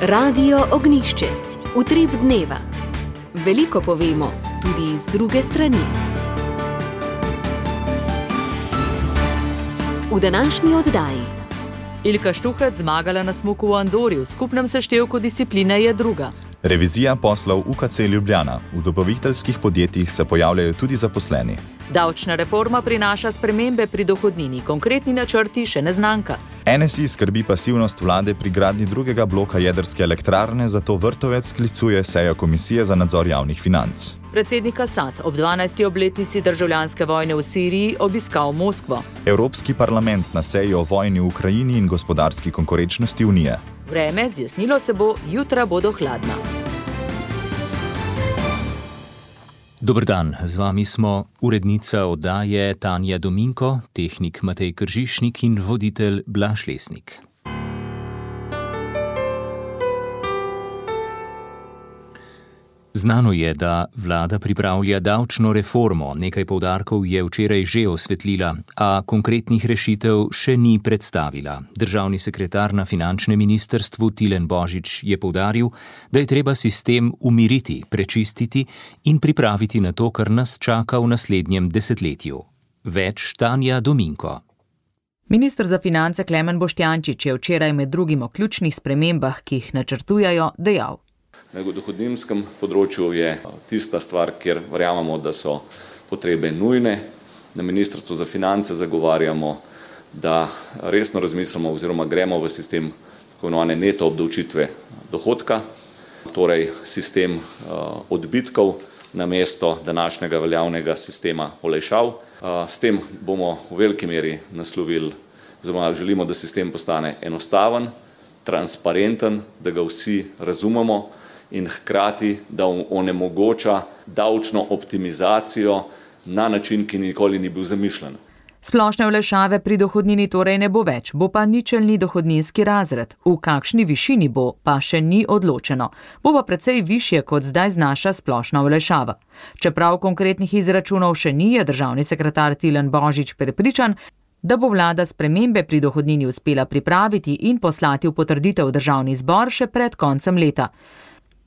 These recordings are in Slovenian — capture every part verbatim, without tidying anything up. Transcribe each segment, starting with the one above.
Radio Ognišče, utrip dneva. Veliko povemo, tudi iz druge strani. V današnji oddaji. Ilka Štuhec zmagala na smuku v Andori, v skupnem seštevku discipline je druga. Revizija poslov U K C Ljubljana. V dobaviteljskih podjetjih se pojavljajo tudi zaposleni. Davčna reforma prinaša spremembe pri dohodnini, konkretni načrti še neznanka. N S I skrbi pasivnost vlade pri gradnji drugega bloka jedrske elektrarne, zato Vrtovec sklicuje sejo Komisije za nadzor javnih financ. Predsednik Asad ob dvanajsti obletnici državljanske vojne v Siriji obiskal Moskvo. Evropski parlament na seji o vojni v Ukrajini in gospodarski konkurenčnosti Unije. Vreme, zjasnilo se bo, jutra bodo hladna. Dober dan, z vami smo urednica oddaje Tanja Dominko, tehnik Matej Kržišnik in voditelj Blaž Lesnik. Znano je, da vlada pripravlja davčno reformo, nekaj poudarkov je včeraj že osvetlila, a konkretnih rešitev še ni predstavila. Državni sekretar na finančnem ministrstvu Tilen Božič je poudaril, da je treba sistem umiriti, prečistiti in pripraviti na to, kar nas čaka v naslednjem desetletju. Več Tanja Dominko. Minister za finance Klemen Boštjančič je včeraj med drugim o ključnih spremembah, ki jih načrtujajo, dejal. Na dohodninskem področju je tista stvar, kjer verjamemo, da so potrebe nujne. Na Ministrstvu za finance zagovarjamo, da resno razmislimo oziroma gremo v sistem tako imenovane neto obdavčitve dohodka, torej sistem odbitkov namesto današnjega veljavnega sistema olajšav. S tem bomo v veliki meri naslovili, oziroma želimo, da sistem postane enostaven, transparenten, da ga vsi razumemo, in hkrati, da onemogoča davčno optimizacijo na način, ki nikoli ni bil zamišljen. Splošne olajšave pri dohodnini torej ne bo več, bo pa ničelni dohodninski razred. V kakšni višini bo, pa še ni odločeno. Bo pa precej višje, kot zdaj znaša splošna olajšava. Čeprav konkretnih izračunov še ni, je državni sekretar Tilen Božič prepričan, da bo vlada spremembe pri dohodnini uspela pripraviti in poslati v potrditev v državni zbor še pred koncem leta.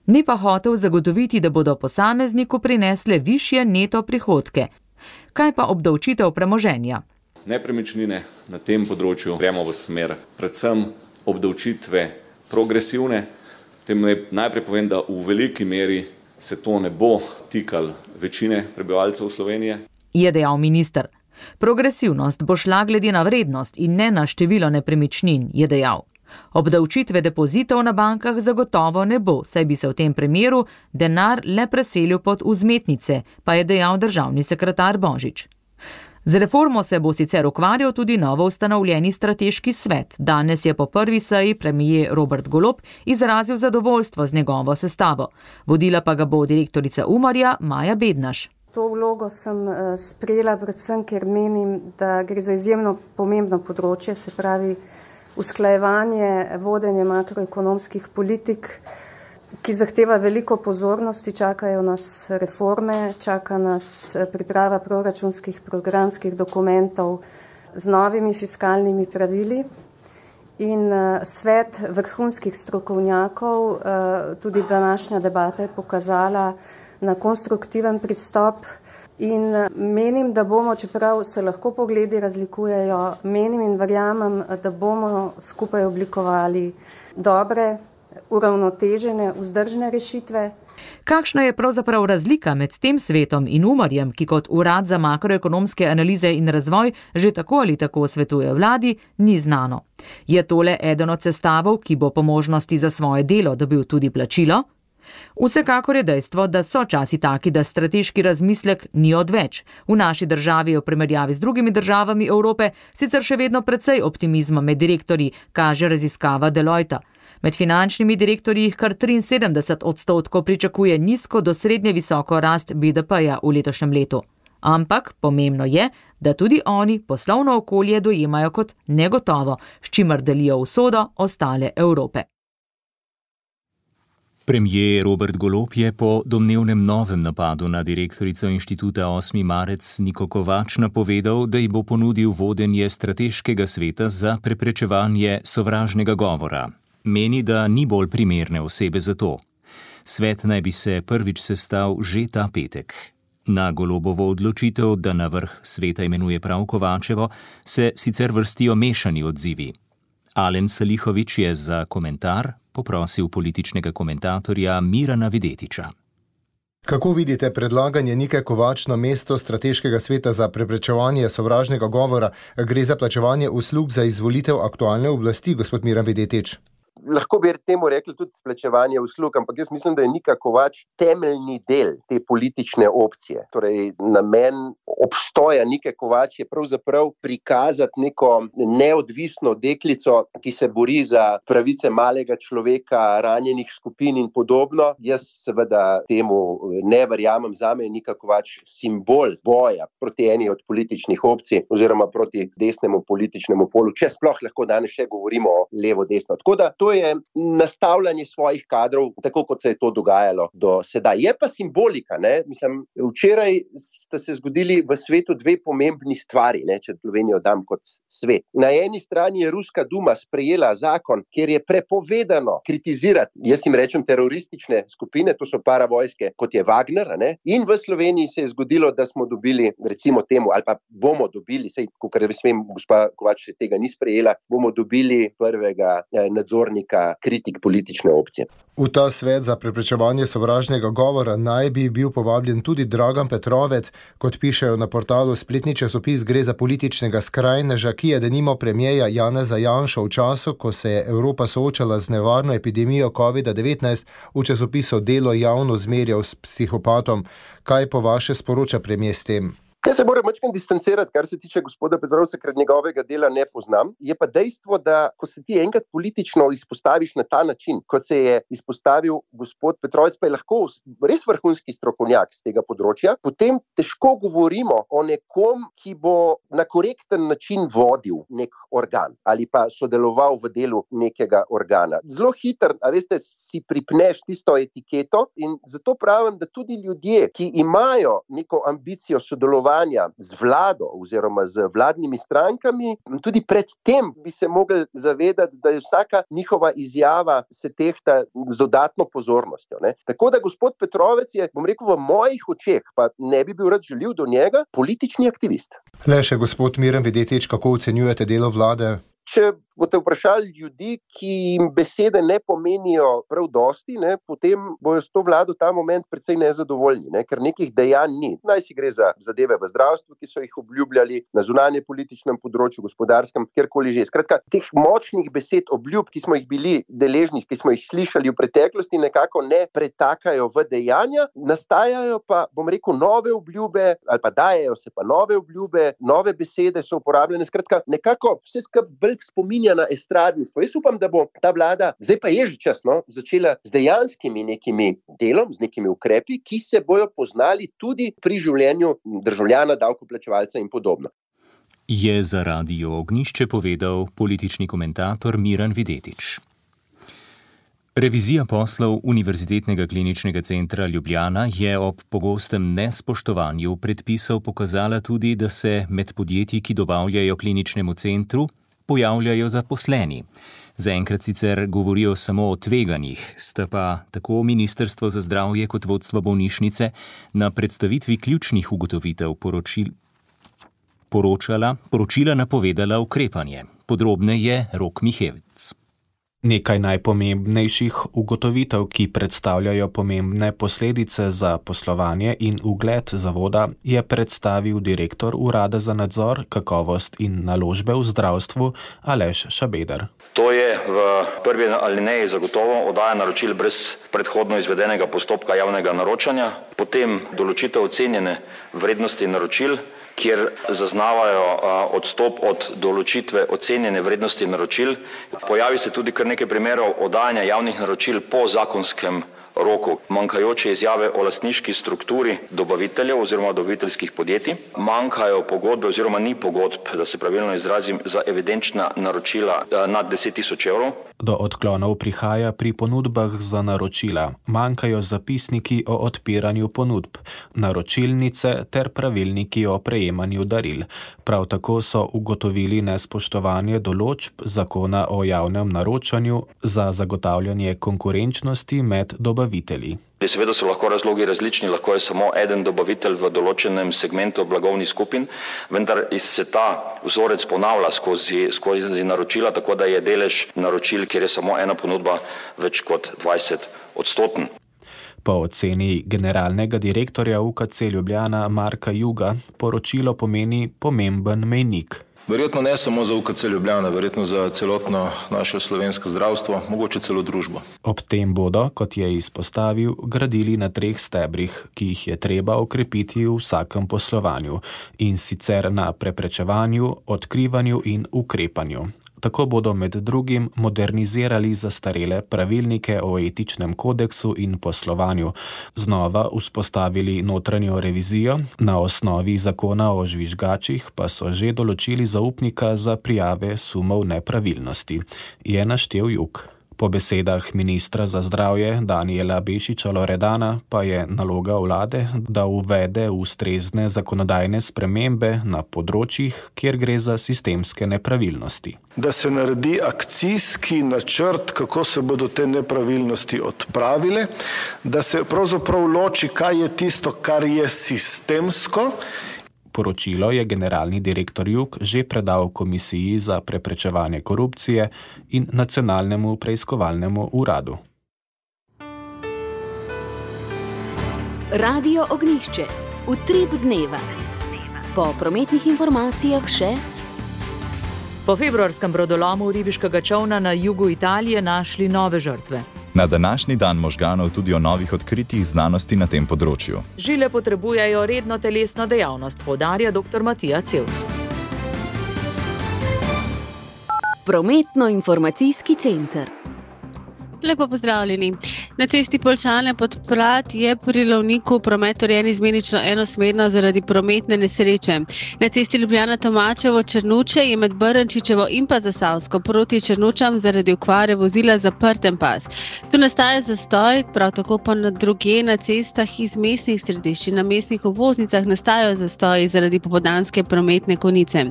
Ni pa hotel zagotoviti, da bodo posamezniku prinesle višje neto prihodke. Kaj pa obdavčitev premoženja? Nepremičnine na tem področju gremo v smer predvsem obdavčitve progresivne. Tem najprej povem, da v veliki meri se to ne bo tikalo večine prebivalcev Slovenije. Je dejal minister. Progresivnost bo šla glede na vrednost in ne na število nepremičnin, je dejal. Obdavčitve depozitov na bankah zagotovo ne bo, saj bi se v tem primeru denar le preselil pod vzmetnice, pa je dejal državni sekretar Božič. Z reformo se bo sicer ukvarjal tudi novo ustanovljeni strateški svet. Danes je po prvi seji premier Robert Golob izrazil zadovoljstvo z njegovo sestavo. Vodila pa ga bo direktorica Umarja Maja Bednaš. To vlogo sem sprejela predvsem, ker menim, da gre za izjemno pomembno področje, se pravi usklajevanje, vodenje makroekonomskih politik, ki zahteva veliko pozornosti, čakajo nas reforme, čaka nas priprava proračunskih programskih dokumentov z novimi fiskalnimi pravili in svet vrhunskih strokovnjakov, tudi današnja debata je pokazala na konstruktiven pristop. In menim, da bomo, čeprav se lahko pogledi razlikujejo, menim in verjamem, da bomo skupaj oblikovali dobre, uravnotežene, vzdržne rešitve. Kakšna je pravzaprav razlika med tem svetom in Umarjem, ki kot urad za makroekonomske analize in razvoj že tako ali tako svetuje vladi, ni znano. Je tole eden od sestavov, ki bo po možnosti za svoje delo dobil tudi plačilo? Vsekakor je dejstvo, da so časi taki, da strateški razmislek ni odveč. V naši državi je v primerjavi z drugimi državami Evrope sicer še vedno precej optimizma med direktorji, kaže raziskava Deloitta. Med finančnimi direktorji jih kar triinsedemdeset odstotkov pričakuje nizko do srednje visoko rast B D P-ja v letošnjem letu. Ampak pomembno je, da tudi oni poslovno okolje dojemajo kot negotovo, s čimer delijo usodo ostale Evrope. Premier Robert Golob je po domnevnem novem napadu na direktorico inštituta osmi marec Niko Kovač napovedal, da ji bo ponudil vodenje strateškega sveta za preprečevanje sovražnega govora. Meni, da ni bolj primerne osebe za to. Svet naj bi se prvič sestal že ta petek. Na Golobovo odločitev, da na vrh sveta imenuje prav Kovačevo, se sicer vrstijo mešani odzivi. Alen Salihović je za komentar poprosil političnega komentatorja Mirana Videtiča. Kako vidite predlaganje Nike Kovač na mesto strateškega sveta za preprečevanje sovražnega govora? Gre za plačevanje uslug za izvolitev aktualne oblasti, gospod Miran Videtič? Lahko bi temu rekli tudi plačevanje uslug, ampak jaz mislim, da je Nika Kovač temeljni del te politične opcije. Torej, namen obstoja Nike Kovač je pravzaprav prikazati neko neodvisno deklico, ki se bori za pravice malega človeka, ranjenih skupin in podobno. Jaz seveda temu ne verjamem. Zame je Nika Kovač simbol boja proti eni od političnih opcij oziroma proti desnemu političnemu polu, če sploh lahko danes še govorimo o levo-desno. Tako da to je nastavljanje svojih kadrov, tako kot se je to dogajalo do sedaj. Je pa simbolika, ne? Mislim, včeraj sta se zgodili v svetu dve pomembni stvari, ne? Če Slovenijo dam kot svet. Na eni strani je Ruska duma sprejela zakon, kjer je prepovedano kritizirati, jaz jim rečem teroristične skupine, to so paravojske, kot je Wagner, ne? In v Sloveniji se je zgodilo, da smo dobili, recimo temu, ali pa bomo dobili, sej, kakor vem, gospa Kovač tega ni sprejela, bomo dobili prvega eh, nadzornika kritik politične opcije. V ta svet za preprečevanje sovražnega govora naj bi bil povabljen tudi Dragan Petrovec. Kot pišejo na portalu Spletni časopis, gre za političnega skrajneža, ki je denimo premierja Janeza Janšo v času, ko se je Evropa soočala z nevarno epidemijo kovida devetnajst, v časopisu Delo javno zmerjal s psihopatom. Kaj po vaše sporoča premijer s tem? Jaz se moram mačkam distancirati, kar se tiče gospoda Petrovca, ker njegovega dela ne poznam. Je pa dejstvo, da ko se ti enkrat politično izpostaviš na ta način, kot se je izpostavil gospod Petrovec, pa je lahko res vrhunski strokovnjak z tega področja, potem težko govorimo o nekom, ki bo na korekten način vodil nek organ ali pa sodeloval v delu nekega organa. Zelo hiter, a veste, si pripneš tisto etiketo in zato pravim, da tudi ljudje, ki imajo neko ambicijo sodelovanja z vlado oziroma z vladnimi strankami, tudi pred tem bi se mogli zavedati, da je vsaka njihova izjava se tehta z dodatno pozornostjo. Ne? Tako da gospod Petrovec je, bom rekel, v mojih očeh, pa ne bi bil rad žaljiv do njega, politični aktivist. Le še gospod Miran Videtič, kako ocenjujete delo vlade? Če boste vprašali ljudi, ki jim besede ne pomenijo prav dosti, ne, potem bojo s to vlado ta moment precej nezadovoljni, ne, ker nekih dejanj ni. Naj si gre za zadeve v zdravstvu, ki so jih obljubljali, na zunanje političnem področju, gospodarskem, kjerkoli že. Skratka, teh močnih besed, obljub, ki smo jih bili deležni, ki smo jih slišali v preteklosti, nekako ne pretakajo v dejanja, nastajajo pa, bom rekel, nove obljube, ali pa dajejo se pa nove obljube, nove besede so uporabljene. Skratka, nekako vse skupaj spominja na estradništvo. Jaz upam, da bo ta vlada, zdaj pa je že čas, no, začela z dejanskimi nekimi delom, z nekimi ukrepi, ki se bojo poznali tudi pri življenju državljana, davkoplačevalca in podobno. Je za Radio Ognjišče povedal politični komentator Miran Videtič. Revizija poslov Univerzitetnega kliničnega centra Ljubljana je ob pogostem nespoštovanju predpisov pokazala tudi, da se med podjetji, ki dobavljajo kliničnemu centru, pojavljajo zaposleni. Zaenkrat sicer govorijo samo o tveganjih, sta pa tako Ministrstvo za zdravje kot vodstvo bolnišnice na predstavitvi ključnih ugotovitev poročil, poročala, poročila napovedala ukrepanje. Podrobneje Rok Mihevc. Nekaj najpomembnejših ugotovitev, ki predstavljajo pomembne posledice za poslovanje in ugled zavoda, je predstavil direktor Urada za nadzor, kakovost in naložbe v zdravstvu Aleš Šabeder. To je v prvi alineji zagotovo oddaja naročil brez predhodno izvedenega postopka javnega naročanja, potem določitev ocenjene vrednosti naročil, kjer zaznavajo odstop od določitve ocenjene vrednosti naročil. Pojavi se tudi kar nekaj primerov oddajanja javnih naročil po zakonskem roku, manjkajoče izjave o lastniški strukturi dobaviteljev oziroma dobaviteljskih podjetij, manjkajo pogodbe oziroma ni pogodb, da se pravilno izrazim, za evidenčna naročila nad deset tisoč evrov. Do odklonov prihaja pri ponudbah za naročila, manjkajo zapisniki o odpiranju ponudb, naročilnice ter pravilniki o prejemanju daril. Prav tako so ugotovili nespoštovanje določb zakona o javnem naročanju za zagotavljanje konkurenčnosti med dobavitelji. Seveda so lahko razlogi različni, lahko je samo eden dobavitelj v določenem segmentu blagovnih skupin, vendar se ta vzorec ponavlja skozi, skozi naročila, tako da je delež naročil, kjer je samo ena ponudba, več kot dvajset odstoten. Po oceni generalnega direktorja U K C Ljubljana Marka Juga poročilo pomeni pomemben mejnik. Verjetno ne samo za U K C Ljubljana, verjetno za celotno naše slovensko zdravstvo, mogoče celo družbo. Ob tem bodo, kot je izpostavil, gradili na treh stebrih, ki jih je treba okrepiti v vsakem poslovanju, in sicer na preprečevanju, odkrivanju in ukrepanju. Tako bodo med drugim modernizirali zastarele pravilnike o etičnem kodeksu in poslovanju, znova vzpostavili notranjo revizijo, na osnovi zakona o žvižgačih pa so že določili zaupnika za prijave sumov nepravilnosti, je naštel Jug. Po besedah ministra za zdravje Danijela Bešiča Loredana pa je naloga vlade, da uvede ustrezne zakonodajne spremembe na področjih, kjer gre za sistemske nepravilnosti. Da se naredi akcijski načrt, kako se bodo te nepravilnosti odpravile, da se pravzaprav loči, kaj je tisto, kar je sistemsko. Poročilo je generalni direktor Jug že predal Komisiji za preprečevanje korupcije in Nacionalnemu preiskovalnemu uradu. Radio Ognjišče. Utrip dneva. Po prometnih informacijah še... Po februarskem brodolomu ribiškega čolna na jugu Italije našli nove žrtve. Na današnji dan možganov tudi o novih odkritjih znanosti na tem področju. Žile potrebujejo redno telesno dejavnost, poudarja doktor Matija Cevc. Prometno-informacijski center. Lepo pozdravljeni. Na cesti Poljčane pod Prat je pri Lovniku promet urejen izmenično enosmerno zaradi prometne nesreče. Na cesti Ljubljana-Tomačevo Črnuče je med Brnčičevo in pa Zasavsko proti Črnučam zaradi okvare vozila zaprten pas. Tu nastaja zastoj, prav tako pa na drugje na cestah iz mestnih središč in na mestnih obvoznicah nastajajo zastoji zaradi popoldanske prometne konice.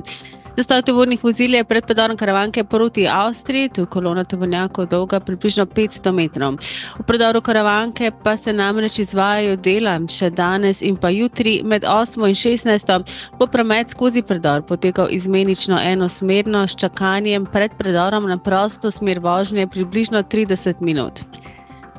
Zastoj tovornih vozil je pred predorom Karavanke proti Avstriji, tu je kolona tovornjakov dolga približno petsto metrov. V predoru Karavanke pa se namreč izvajajo dela še danes in pa jutri med osmo in šestnajsto bo promet skozi predor potekal izmenično enosmerno s čakanjem pred predorom na prosto smer vožnje približno trideset minut.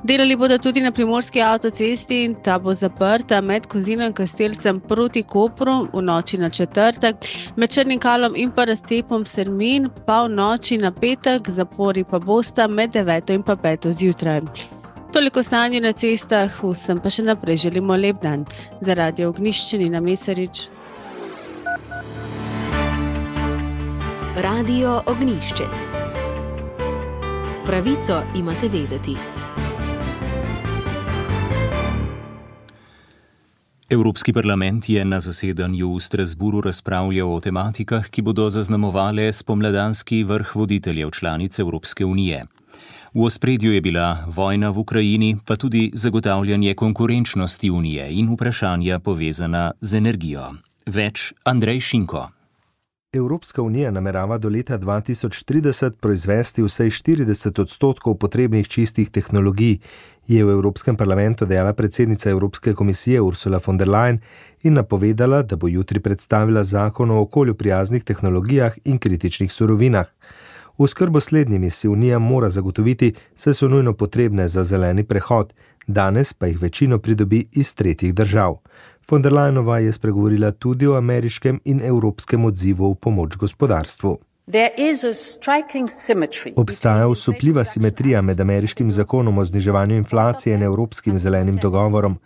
Delali bodo tudi na primorski avtocesti in ta bo zaprta med Kozino in Kastelcem proti Kopru v noči na četrtek, med Črnim Kalom in pa razcepom Sermin pa v noči na petek, zapori pa bosta med deveto in pa peto zjutraj. Toliko stanje na cestah, vsem pa še naprej želimo lep dan. Za Radio Ognjišče Nina Mesarič. Radio Ognjišče. Pravico imate vedeti. Evropski parlament je na zasedanju v Strasburu razpravljal o tematikah, ki bodo zaznamovale spomladanski vrh voditeljev članic Evropske unije. V ospredju je bila vojna v Ukrajini, pa tudi zagotavljanje konkurenčnosti unije in vprašanja povezana z energijo. Več Andrej Šinko. Evropska unija namerava do leta dva tisoč trideset proizvesti vsaj štirideset odstotkov potrebnih čistih tehnologij, je v Evropskem parlamentu dejala predsednica Evropske komisije Ursula von der Leyen in napovedala, da bo jutri predstavila zakon o okolju prijaznih tehnologijah in kritičnih surovinah. Oskrbo slednjimi si unija mora zagotoviti, saj so nujno potrebne za zeleni prehod, danes pa jih večino pridobi iz tretjih držav. Von der Leyenova je spregovorila tudi o ameriškem in evropskem odzivu v pomoč gospodarstvu. Obstaja osupljiva simetrija med ameriškim zakonom o zniževanju inflacije in evropskim zelenim dogovorom.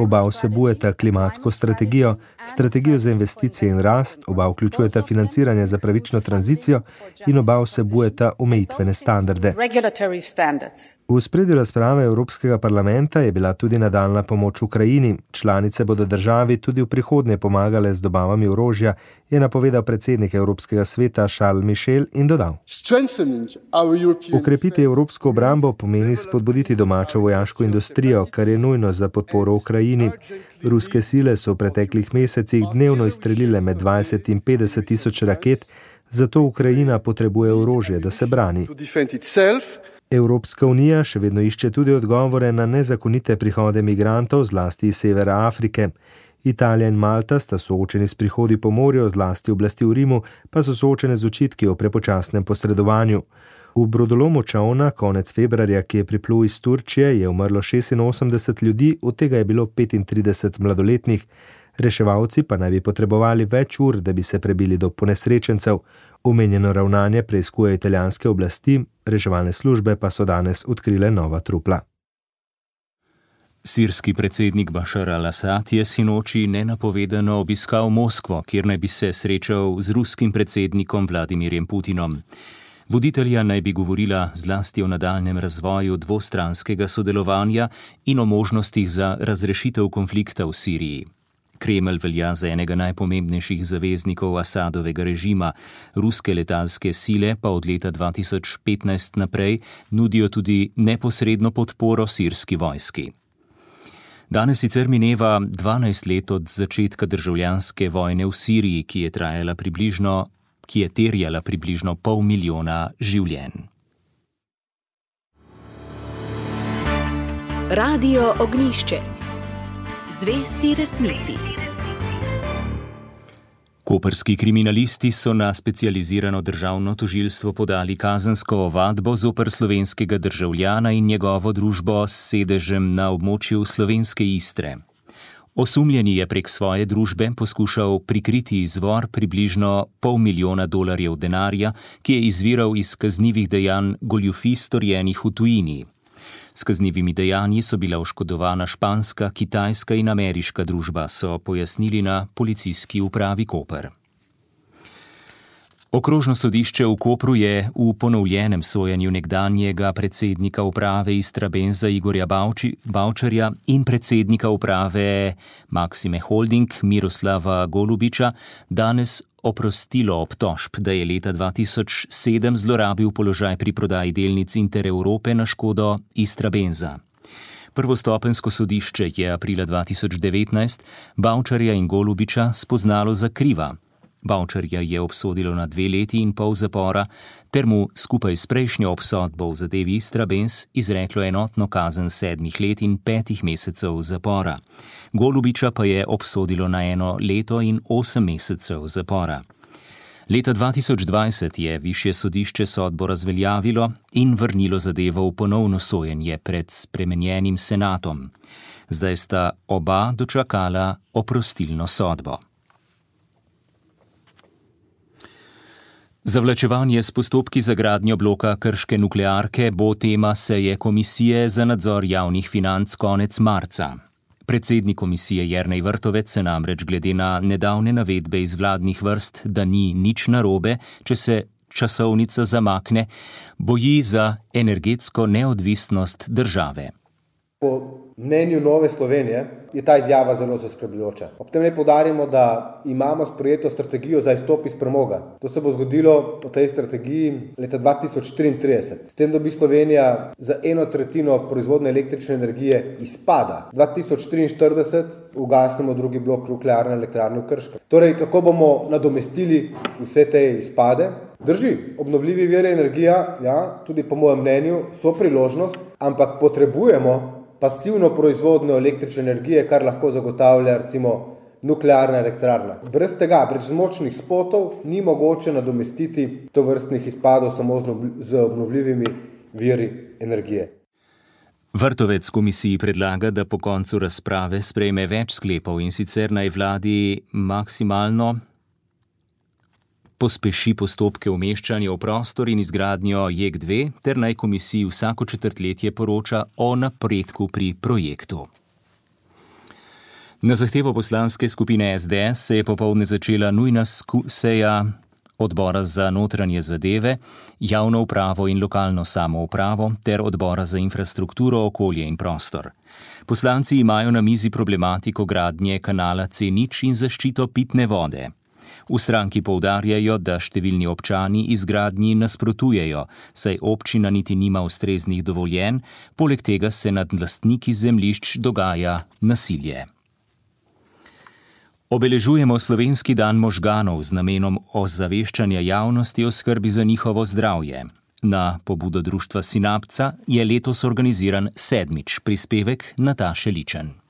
Oba vsebujeta klimatsko strategijo, strategijo za investicije in rast, oba vključujeta financiranje za pravično tranzicijo in oba vsebujeta omejitvene standarde. V spredju razprave Evropskega parlamenta je bila tudi nadaljna pomoč Ukrajini. Članice bodo državi tudi v prihodnje pomagale z dobavami orožja, je napovedal predsednik Evropskega sveta Charles Michel in dodal: Ukrepiti evropsko obrambo pomeni spodbuditi domačo vojaško industrijo, kar je nujno za podporo Ukrajini. Ruske sile so v preteklih mesecih dnevno izstrelile med dvajset in petdeset tisoč raket, zato Ukrajina potrebuje orožje, da se brani. Evropska unija še vedno išče tudi odgovore na nezakonite prihode migrantov, zlasti iz severa Afrike. Italija in Malta sta soočeni s prihodi po morju, zlasti oblasti v Rimu, pa so soočene z očitki o prepočasnem posredovanju. V brodolomu čolna konec februarja, ki je priplul iz Turčije, je umrlo šestinosemdeset ljudi, od tega je bilo petintrideset mladoletnih. Reševalci pa naj bi potrebovali več ur, da bi se prebili do ponesrečencev. Omenjeno ravnanje preiskujejo italijanske oblasti, reševalne službe pa so danes odkrile nova trupla. Sirski predsednik Bašar al-Asad je sinoči nenapovedano obiskal Moskvo, kjer naj bi se srečal z ruskim predsednikom Vladimirjem Putinom. Voditelja naj bi govorila zlasti o nadaljnem razvoju dvostranskega sodelovanja in o možnostih za razrešitev konflikta v Siriji. Kremelj velja za enega najpomembnejših zaveznikov Asadovega režima, ruske letalske sile pa od leta dva tisoč petnajst naprej nudijo tudi neposredno podporo sirski vojski. Danes sicer mineva dvanajst let od začetka državljanske vojne v Siriji, ki je trajala približno, ki je terjala približno pol milijona življenj. Radio Ognjišče. Zvesti resnici. Koprski kriminalisti so na specializirano državno tožilstvo podali kazensko ovadbo zoper slovenskega državljana in njegovo družbo s sedežem na območju slovenske Istre. Osumljeni je prek svoje družbe poskušal prikriti izvor približno pol milijona dolarjev denarja, ki je izviral iz kaznivih dejanj goljufij storjenih v tujini. S kaznivimi dejanji so bila oškodovana španska, kitajska in ameriška družba, so pojasnili na policijski upravi Koper. Okrožno sodišče v Kopru je v ponovljenem sojenju nekdanjega predsednika uprave Istrabenza Igorja Bavči, Bavčarja in predsednika uprave Maxime Holding Miroslava Golubiča danes oprostilo obtožb, da je leta dva tisoč sedem zlorabil položaj pri prodaji delnic Intereurope na škodo Istrabenza. Prvostopenjsko sodišče je aprila dva tisoč devetnajst Bavčarja in Golubiča spoznalo za kriva. Bavčarja je obsodilo na dve leti in pol zapora, ter mu skupaj s prejšnjo obsodbo v zadevi Istrabenz izreklo enotno kazen sedmih let in petih mesecev zapora. Golubiča pa je obsodilo na eno leto in osem mesecev zapora. Leta dva tisoč dvajset je višje sodišče sodbo razveljavilo in vrnilo zadevo v ponovno sojenje pred spremenjenim senatom. Zdaj sta oba dočakala oprostilno sodbo. Zavlačevanje s postopki za gradnjo bloka krške nuklearke bo tema seje Komisije za nadzor javnih financ konec marca. Predsednik komisije Jernej Vrtovec se namreč glede na nedavne navedbe iz vladnih vrst, da ni nič narobe, če se časovnica zamakne, boji za energetsko neodvisnost države. Po mnenju Nove Slovenije je ta izjava zelo zaskrbljujoča. Ob tem naj poudarimo, da imamo sprejeto strategijo za izstop iz premoga. To se bo zgodilo po tej strategiji leta dva tisoč triintrideset. S tem dobi Slovenija za eno tretjino proizvodne električne energije izpada. dva tisoč triinštirideset ugasnemo drugi blok nuklearne elektrarne v Krškem. Torej, kako bomo nadomestili vse te izpade? Drži, obnovljivi viri energija, ja, tudi po mojem mnenju, so priložnost, ampak potrebujemo pasivno proizvodnjo električne energije, kar lahko zagotavlja recimo nuklearna elektrarna. Brez tega, brez močnih spotov, ni mogoče nadomestiti tovrstnih izpadov samo z obnovljivimi viri energije. Vrtovec komisiji predlaga, da po koncu razprave sprejme več sklepov in sicer naj vladi maksimalno pospeši postopke umeščanja v prostor in izgradnjo J E K dve, ter naj komisiji vsako četrtletje poroča o napredku pri projektu. Na zahtevo poslanske skupine S D S se je popoldne začela nujna seja Odbora za notranje zadeve, javno upravo in lokalno samoupravo ter Odbora za infrastrukturo, okolje in prostor. Poslanci imajo na mizi problematiko gradnje kanala C nič in zaščito pitne vode. V stranki poudarjajo, da številni občani izgradnji nasprotujejo, saj občina niti nima ustreznih dovoljenj, poleg tega se nad lastniki zemljišč dogaja nasilje. Obeležujemo Slovenski dan možganov z namenom ozaveščanja javnosti o skrbi za njihovo zdravje. Na pobudo društva Sinapca je letos organiziran sedmič prispevek Nataše Ličen.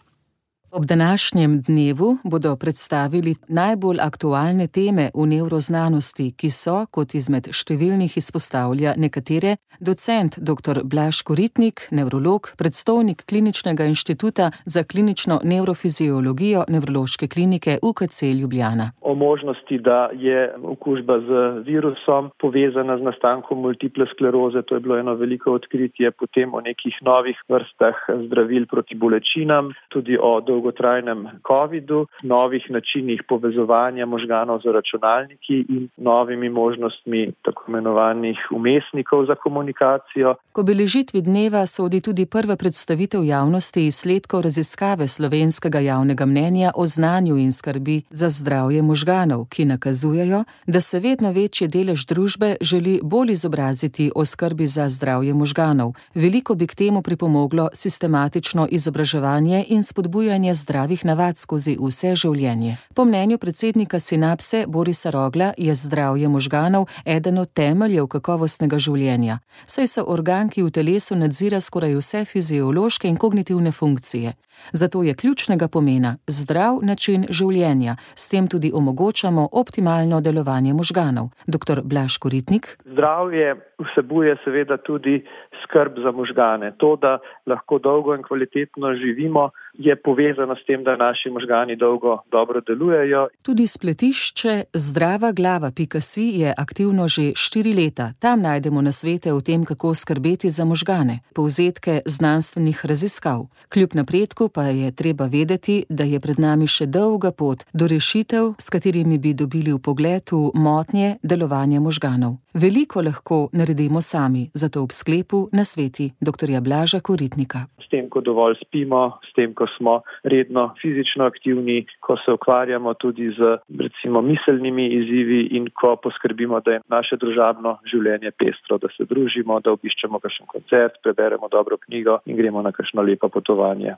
Ob današnjem dnevu bodo predstavili najbolj aktualne teme v nevroznanosti, ki so, kot izmed številnih izpostavlja nekatere, docent dr. Blaž Koritnik, nevrolog, predstojnik Kliničnega inštituta za klinično nevrofiziologijo Nevrološke klinike U K C Ljubljana. O možnosti, da je okužba z virusom povezana z nastankom multiple skleroze, to je bilo eno veliko odkritje, potem o nekih novih vrstah zdravil proti bolečinam, tudi o dolgotrajnem covidu, novih načinih povezovanja možganov z računalniki in novimi možnostmi tako imenovanih vmesnikov za komunikacijo. K obeležitvi dneva sodi tudi prva predstavitev javnosti izsledkov raziskave slovenskega javnega mnenja o znanju in skrbi za zdravje možganov, ki nakazujejo, da se vedno večji delež družbe želi bolj izobraziti o skrbi za zdravje možganov. Veliko bi k temu pripomoglo sistematično izobraževanje in spodbujanje zdravih navad skozi vse življenje. Po mnenju predsednika Sinapse Borisa Rogla je zdravje možganov eden od temeljev kakovostnega življenja, saj so organ, ki v telesu nadzira skoraj vse fiziološke in kognitivne funkcije. Zato je ključnega pomena zdrav način življenja, s tem tudi omogočamo optimalno delovanje možganov. dr. Blaž Koritnik. Zdravje vsebuje seveda tudi skrb za možgane. To, da lahko dolgo in kvalitetno živimo, je povezano s tem, da naši možgani dolgo dobro delujejo. Tudi spletišče zdrava glava pika si je aktivno že štiri leta. Tam najdemo nasvete o tem, kako skrbeti za možgane, povzetke znanstvenih raziskav. Kljub napredku pa je treba vedeti, da je pred nami še dolga pot do rešitev, s katerimi bi dobili vpogled v motnje delovanja možganov. Veliko lahko naredimo sami, zato ob sklepu nasveti dr. Blaža Koritnika. S tem, ko dovolj spimo, s tem, ko smo redno fizično aktivni, ko se ukvarjamo tudi z recimo miselnimi izzivi in ko poskrbimo, da je naše družabno življenje pestro, da se družimo, da obiščemo kakšen koncert, preberemo dobro knjigo in gremo na kakšno lepo potovanje.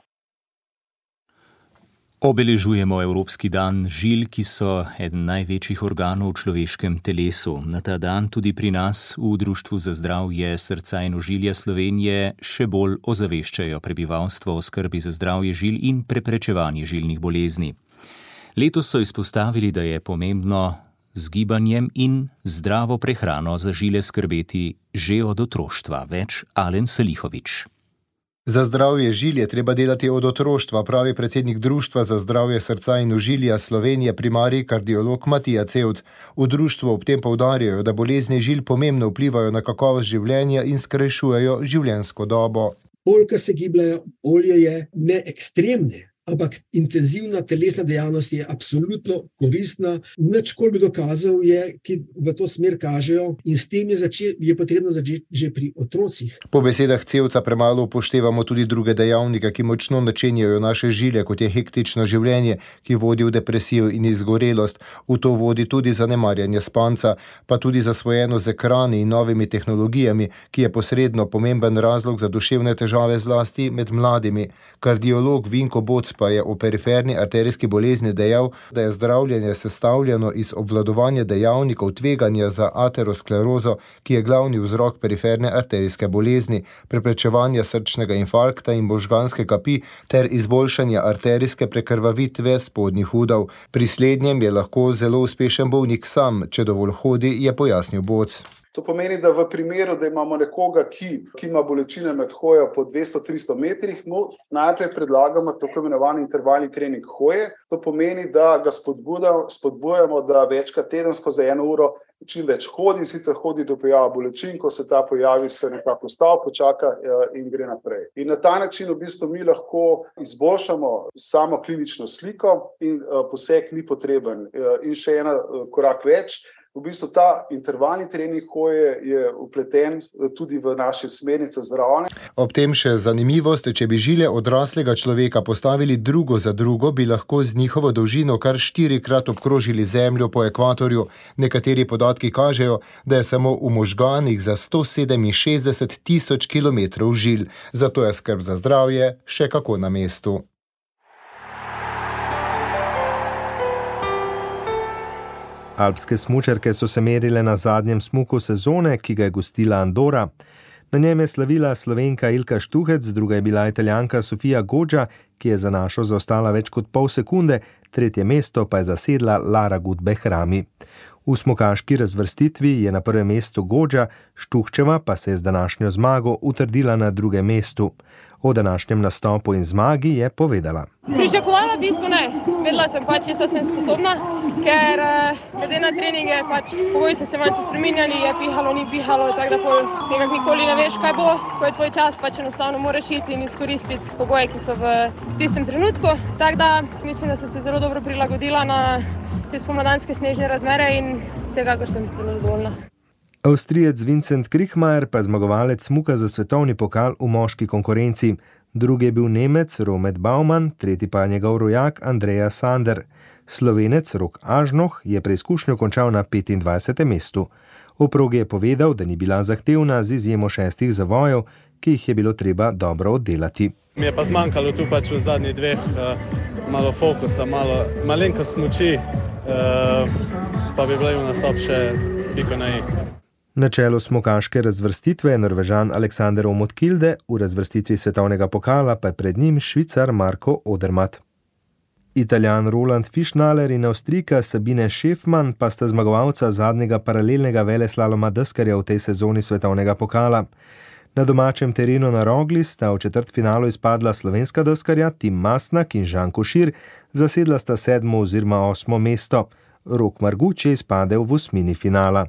Obeležujemo Evropski dan žil, ki so eden največjih organov v človeškem telesu. Na ta dan tudi pri nas v Društvu za zdravje srca in ožilja Slovenije še bolj ozaveščajo prebivalstvo o skrbi za zdravje žil in preprečevanje žilnih bolezni. Letos so izpostavili, da je pomembno z gibanjem in zdravo prehrano za žile skrbeti že od otroštva. Več Alen Salihovič. Za zdravje žil je treba delati od otroštva, pravi predsednik Društva za zdravje srca in ožilja Slovenije primarij kardiolog Matija Cevc. V društvu ob tem poudarjajo, da bolezni žil pomembno vplivajo na kakovost življenja in skrajšujejo življenjsko dobo. Bolj, ko se gibljajo, bolje je, ne ekstremne, ampak intenzivna telesna dejavnost je absolutno koristna. Nič, koliko dokazov je, ki v to smer kažejo, in s tem je, začet, je potrebno začeti že pri otrocih. Po besedah Cevca premalo upoštevamo tudi druge dejavnike, ki močno načenjajo naše žile, kot je hektično življenje, ki vodi v depresijo in izgorelost. V to vodi tudi zanemarjanje spanca, pa tudi zasvojeno z ekrani in novimi tehnologijami, ki je posredno pomemben razlog za duševne težave zlasti med mladimi. Kardiolog Vinko Boc pa je o periferni arterijski bolezni dejal, da je zdravljenje sestavljeno iz obvladovanja dejavnikov tveganja za aterosklerozo, ki je glavni vzrok periferne arterijske bolezni, preprečevanja srčnega infarkta in možganske kapi ter izboljšanja arterijske prekrvavitve spodnjih udov. Pri slednjem je lahko zelo uspešen bolnik sam, če dovolj hodi, je pojasnil Boc. To pomeni, da v primeru, da imamo nekoga, ki, ki ima bolečine med hojo po dvesto do tristo metrih, mu najprej predlagamo tako imenovani intervalni trening hoje. To pomeni, da ga spodbujamo, da večkrat tedensko za eno uro čim več hodi, sicer hodi do pojava bolečin, ko se ta pojavi, se nekako ustavi, počaka in gre naprej. In na ta način v bistvu mi lahko izboljšamo samo klinično sliko in poseg ni potreben. In še ena korak več, v bistvu ta intervalni trening hoje je vpleten tudi v naše smernice zdravljenja. Ob tem še zanimivost, če bi žile odraslega človeka postavili drugo za drugo, bi lahko z njihovo dolžino kar štirikrat obkrožili Zemljo po ekvatorju. Nekateri podatki kažejo, da je samo v možganih za sto sedeminšestdeset tisoč kilometrov žil. Zato je skrb za zdravje še kako na mestu. Alpske smučarke so se merile na zadnjem smuku sezone, ki ga je gostila Andora. Na njem je slavila Slovenka Ilka Štuhec, druga je bila Italijanka Sofia Goggia, ki je za našo zaostala več kot pol sekunde, tretje mesto pa je zasedla Lara Gut-Behrami. V smukaški razvrstitvi je na prvem mestu Goggia, Štuhčeva pa se je z današnjo zmago utrdila na drugem mestu. O današnjem nastopu in zmagi je povedala. Pričakovala v bistvu ne. Vedela sem pač, jaz sem sposobna, ker glede na treninge pač pogoji so se malce spreminjali, je pihalo, ni pihalo, tako da nekako nikoli ne veš, kaj bo, ko je tvoj čas, pač enostavno moraš iti in izkoristiti pogoje, ki so v tistem trenutku. Tako da mislim, da sem se zelo dobro prilagodila na te spomladanske snežne razmere in vsekakor sem zelo zadovoljna. Avstrijec Vincent Kriechmayr pa je zmagovalec smuka za svetovni pokal v moški konkurenci. Drugi je bil Nemec Romet Baumann, tretji pa je njegov rojak Andreja Sander. Slovenec Rok Ažnoh je preizkušnjo končal na petindvajsetem mestu. O progi je povedal, da ni bila zahtevna z izjemo šestih zavojev, ki jih je bilo treba dobro oddelati. Mi je pa zmanjkalo tu pač v zadnjih dveh malo fokusa, malo malenkost smuči, pa bi bil nastop še piko na i. Na čelu smukaške razvrstitve je Norvežan Alexander Omotkilde, v razvrstitvi svetovnega pokala pa je pred njim Švicar Marko Odermatt. Italijan Roland Fischnaller in Avstrijka Sabine Schäfmann pa sta zmagovalca zadnjega paralelnega veleslaloma deskarja v tej sezoni svetovnega pokala. Na domačem terenu na Rogli sta v četrtfinalu izpadla slovenska deskarja Tim Masnak in Žan Košir, zasedla sta sedmo oziroma osmo mesto. Rok Marguč je izpadel v osmini finala.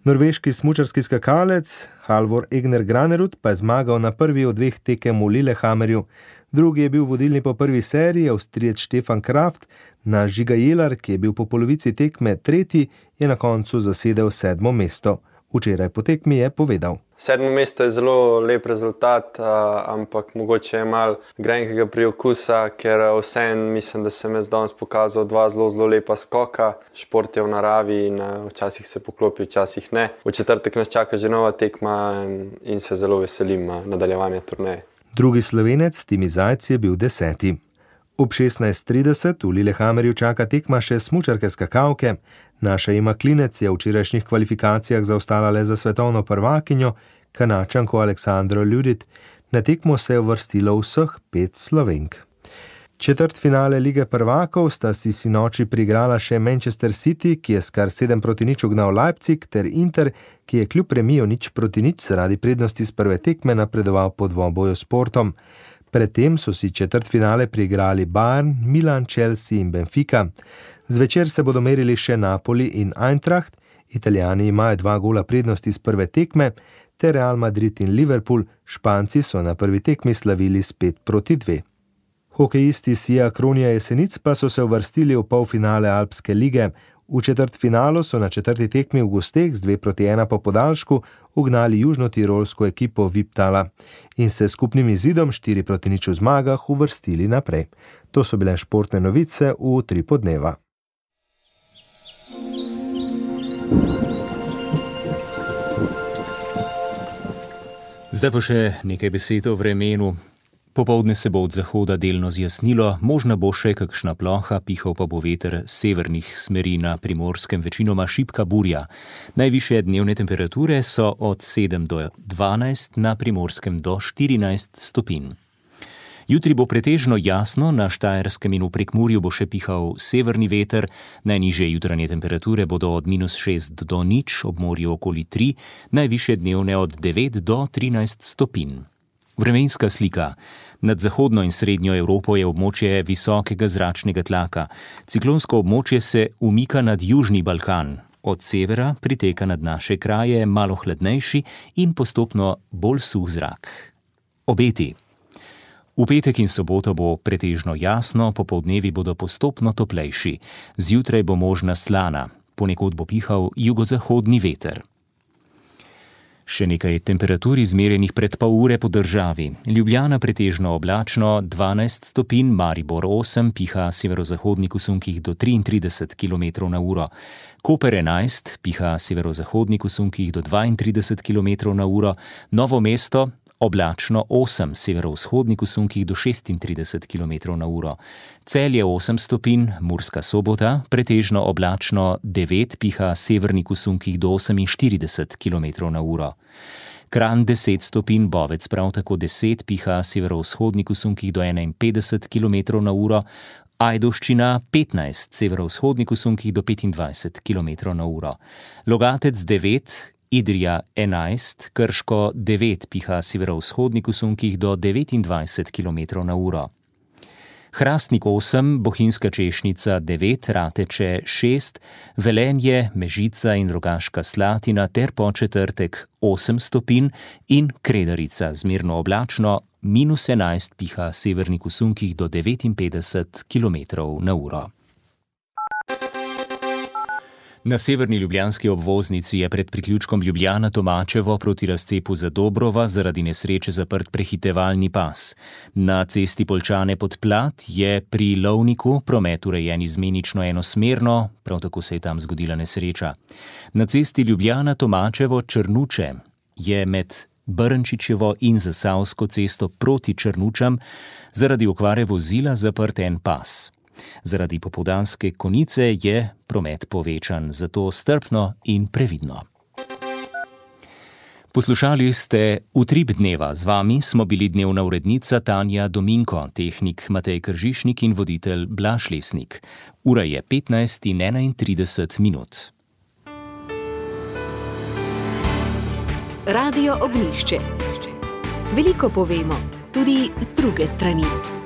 Norveški smučarski skakalec Halvor Egner Granerud pa je zmagal na prvi od dveh tekem v Lillehammerju. Drugi je bil vodilni po prvi seriji, Avstrijec Stefan Kraft, na Žiga Jelar, ki je bil po polovici tekme tretji, je na koncu zasedel sedmo mesto. Včeraj po tekmi je povedal. Sedmo mesto je zelo lep rezultat, ampak mogoče je malo grenkega priokusa, ker vseeno mislim, da sem jaz danes pokazal dva zelo, zelo lepa skoka. Šport je v naravi in včasih se poklopi, včasih ne. V četrtek nas čaka že nova tekma in se zelo veselim nadaljevanja turneje. Drugi Slovenec Timi Zajc je bil deseti. Ob šestnajst trideset v Lillehammerju čaka tekma še smučarke skakalke. Naša Ema Klinec je v včerajšnjih kvalifikacijah zaostala le za svetovno prvakinjo, Kanačanko Aleksandro Ljudit. Na tekmo se je uvrstilo vseh pet Slovenk. Četrtfinale Lige prvakov sta si sinoči priigrala še Manchester City, ki je s kar sedem proti nič ugnal Leipzig, ter Inter, ki je kljub remiju nič proti nič zaradi prednosti z prve tekme napredoval po dvoboju s Portom. Predtem so si četrtfinale priigrali Bayern, Milan, Chelsea in Benfica. Zvečer se bodo merili še Napoli in Eintracht, Italijani imajo dva gola prednosti z prve tekme, ter Real Madrid in Liverpool, Španci so na prvi tekmi slavili s pet proti dve. Hokejisti Sija Kronija Jesenic pa so se uvrstili v polfinale Alpske lige. V četrtfinalu so na četrti tekmi v gosteh z dve proti ena po podaljšku ugnali južnotirolsko ekipo Viptala in se skupnim izidom štiri proti nič v zmagah uvrstili naprej. To so bile športne novice v tri podneva. Zdaj pa še nekaj besed o vremenu. Popoldne se bo od zahoda delno zjasnilo, možna bo še kakšna ploha, pihal pa bo veter severnih smeri, na Primorskem večinoma šibka burja. Najvišje dnevne temperature so od sedem do dvanajst, na Primorskem do štirinajst stopinj. Jutri bo pretežno jasno, na Štajerskem in v Prekmurju bo še pihal severni veter, najnižje jutranje temperature bodo od minus šest do nič, ob morju okoli tri, najvišje dnevne od devet do trinajst stopinj. Vremenska slika. Nad zahodno in srednjo Evropo je območje visokega zračnega tlaka. Ciklonsko območje se umika nad Južni Balkan. Od severa priteka nad naše kraje malo hladnejši in postopno bolj suh zrak. Obeti. V petek in soboto bo pretežno jasno, popoldnevi bodo postopno toplejši. Zjutraj bo možna slana, ponekod bo pihal jugozahodni veter. Še nekaj temperatur izmerjenih pred pol ure po državi. Ljubljana pretežno oblačno, dvanajst stopinj, Maribor osem, piha severozahodnik v sunkih do triintrideset kilometrov na uro. Koper enajst, piha severozahodnik v sunkih do dvaintrideset kilometrov na uro. Novo mesto oblačno osem, severovzhodnik v sunkih do šestintrideset kilometrov na uro. Celje osem stopinj, Murska Sobota, pretežno oblačno devet, piha severnik v sunkih do oseminštirideset kilometrov na uro. Kranj deset stopinj, Bovec prav tako deset, piha severovzhodnik v sunkih do enainpetdeset kilometrov na uro. Ajdovščina petnajst, severovzhodnik v sunkih do petindvajset kilometrov na uro. Logatec devet, Idrija enajst, Krško devet, piha severovzhodnik v sunkih do devetindvajset kilometrov na uro. Hrastnik osem, Bohinjska Češnica devet, Rateče šest, Velenje, Mežica in Rogaška Slatina ter po četrtek osem stopinj in Kredarica zmerno oblačno, minus enajst, piha severnik v sunkih do devetinpetdeset kilometrov na uro. Na severni ljubljanski obvoznici je pred priključkom Ljubljana-Tomačevo proti razcepu Zadobrova zaradi nesreče zaprt prehitevalni pas. Na cesti Poljčane pod Plat je pri Lovniku promet urejen izmenično enosmerno, prav tako se je tam zgodila nesreča. Na cesti Ljubljana-Tomačevo-Črnuče je med Brnčičevo in Zasavsko cesto proti Črnučam zaradi okvare vozila zaprt en pas. Zaradi popoldanske konice je promet povečan, zato strpno in previdno. Poslušali ste Utrip dneva. Z vami smo bili dnevna urednica Tanja Dominko, tehnik Matej Kržišnik in voditelj Blaž Lesnik. Ura je petnajst in enaintrideset minut. Radio Ognjišče. Veliko povemo, tudi z druge strani.